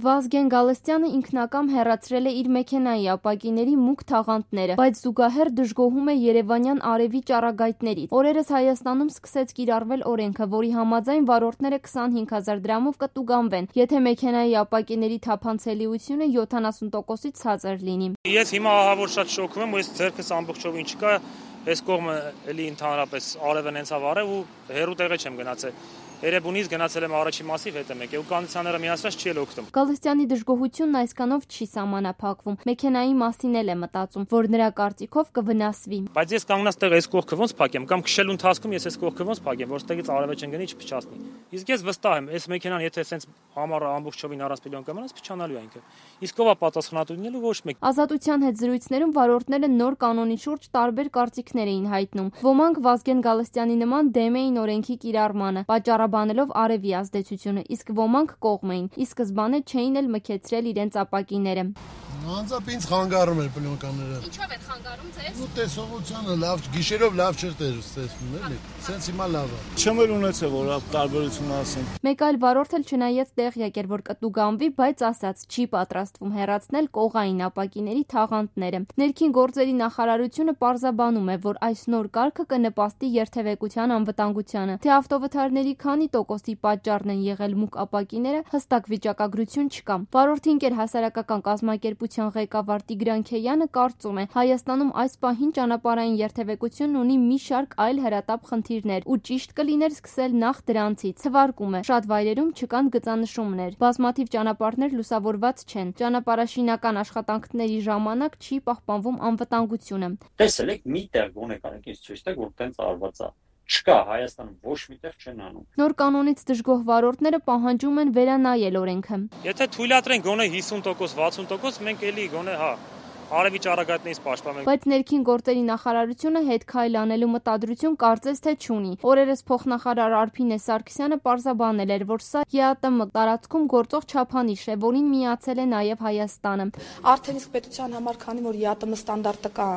Վազգեն Գալստյանը ինքնակամ հեռացրել է իր մեքենայի ապակիների մուգ թաղանթները, բայց զուգահեռ դժգոհում է երևանյան արևի ճառագայթներից։ Օրերս Հայաստանում սկսեց կիրառվել օրենքը, որի համաձայն վարորդները 25,000 դրամով կտուգանվեն, եթե մեքենայի ապակիների թափանցելիությունը 70%-ից ցածր լինի։ Ես հիմա ահավոր շատ շոկվում եմ, ու ես ձեռքս ամբողջովին չկա, այս կողմը էլի ընդհանրապես արևն հենցավ արև ու հեռու տեղը չեմ գնացել։ Երևանից գնացել եմ առաջի մասիվ հետ եմ եկել ու կոնդիցիոները միացրած չի էլ օգտվում։ Գալստյանի դժգոհությունն այսքանով չի սահմանափակվում։ Մեքենայի մասին էլ է մտածում, որ նրա կարծիքով կվնասվի։ Բայց ես կանգնած տեղ այս կողքը ոնց փակեմ կամ քշելու ընթացքում ես այս կողքը ոնց փակեմ, որտեղից արևը չընկնի, չփչացնի։ Իսկ ես վստահ եմ, այս մեքենան եթե ասենց համառը ամբողջովին առանց պիլոն կմնաց, փչանալու է ինքը։ Իսկ ով է պատասխանատու լինելու ոչ մեկ։ Ազատության հետ զրույցներում վարորդները նոր կանոնի շուրջ տարբեր կարծիքներ էին հայտնում։ Ոմանք Վազգեն Գալստյանի նման դեմ էին օրենքի կիրառմանը, պատճառաբանելով արևի ազդեցությունը, իսկ ոմանք կողմ էին։ Ի սկզբանե չէին էլ մքեցրել իրենց ապակիները։ Անձամբ ինձ խանգարում էր պլյոնկաները։ Ինչով է խանգարում ձեզ։ Ու տեսողությունը լավ, գիշերով լավ չէր տեսնում, էլի։ Սենց հիմա լավ է։ Չեմ էլ ունեցել, որ տարբերություն ասեմ։ Մեկ այլ վարորդ էլ չնայած տեղյակ էր, որ կտուգանվի, բայց ասաց չի պատրաստվում հեռացնել կողային ապակիների թաղանթները։ Ներքին գործերի նախարարությունը պարզաբանում է, որ այս նոր կարգը կնպաստի երթևեկության անվտանգությանը։ Թե ավտովթարների քանի տոկոսի պատճառն են եղել մուգ ապակիները, հստակ վիճակագրություն չկա։ Վարորդի ընկեր հասարակական կազմակերպության ղեկավար Տիգրան Քեյանը կարծում է, Հայաստանում այս պահին ճանապարհային երթևեկությունն ունի մի շարք այլ հրատապ խնդիրներ, ու ճիշտ կլիներ սկսել նախ դրանցից։ Թվարկում է, շատ վայրերում չկան գծանշումներ, բազմաթիվ ճանապարհներ լուսավորված չեն, ճանապարհաշինական աշխատանքների ժամանակ չի պահպանվում անվտանգությունը։ Տեսել եք մի տեղ գոնե կարեք ինձ ցույց տալ, որ տենց արված է։ Չկա, Հայաստանում ոչ մի տեղ չեն անում։ Նոր կանոնից դժգոհ վարորդները պահանջում են վերանայել օրենքը։ Եթե թույլատրեն գոնե 50%, 60%, մենք էլի գոնե արևի ճառագայթներից պաշտպանենք։ Բայց ներքին գործերի նախարարությունը հետ քայլ անելու մտադրություն կարծես թե չունի։ Օրերս փոխնախարար Արփինե Սարգսյանը պարզաբանել էր, որ սա ԵԱՏՄ տարածքում գործող չափանիշ է, որին միացել է նաև Հայաստանը։ Արդեն իսկ պետության համար, քանի որ ԵԱՏՄ ստանդարտը կա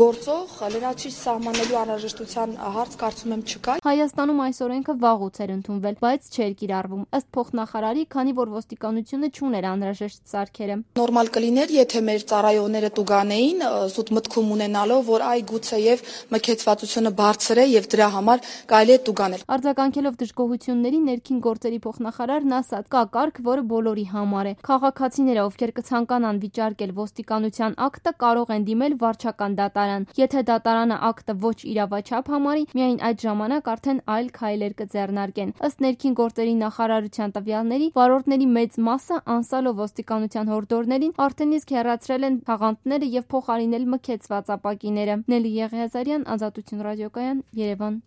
գործող, լրացուցիչ սահմանելու անհրաժեշտության հարց կարծում եմ չկա։ Հայաստանում այս օրենքը վաղուց էր ընդունվել, բայց չէր կիրառվում։ Ըստ փոխնախարարի, քանի որ ոստիկանությունը չուներ անհրաժեշտ սարքերը։ Նորմալ կլիներ, եթե մեր ծառայողները տուգանեին, զուտ մտքում ունենալով, որ այ գուցեև մքեցվածությունը բարձր է եւ դրա համար կարելի է տուգանել։ Արձագանքելով դժգոհությունների ներքին գործերի փոխնախարարն ասաց, կա կարգ, որը բոլորի համար է։ Քաղաքացիները, ովքեր կցանկանան վիճարկել ոստիկանության ակտը, կարող են դիմել վարչական դատարան։ Եթե դատարանը ակտը ոչ իրավաչափ համարի, միայն այդ ժամանակ արդեն այլ քայլեր կձեռնարկեն։ Ըստ ներքին գործերի նախարարության տվյալների, վարորդների մեծ մասը անցալով ոստիկանության հորդորներին արդեն իսկ հեռացրել են թաղանթները եւ փոխարինել մքեցված ապակիները։ Նելի Եղիազարյան, Ազատություն ռադիոկայան, Երևան։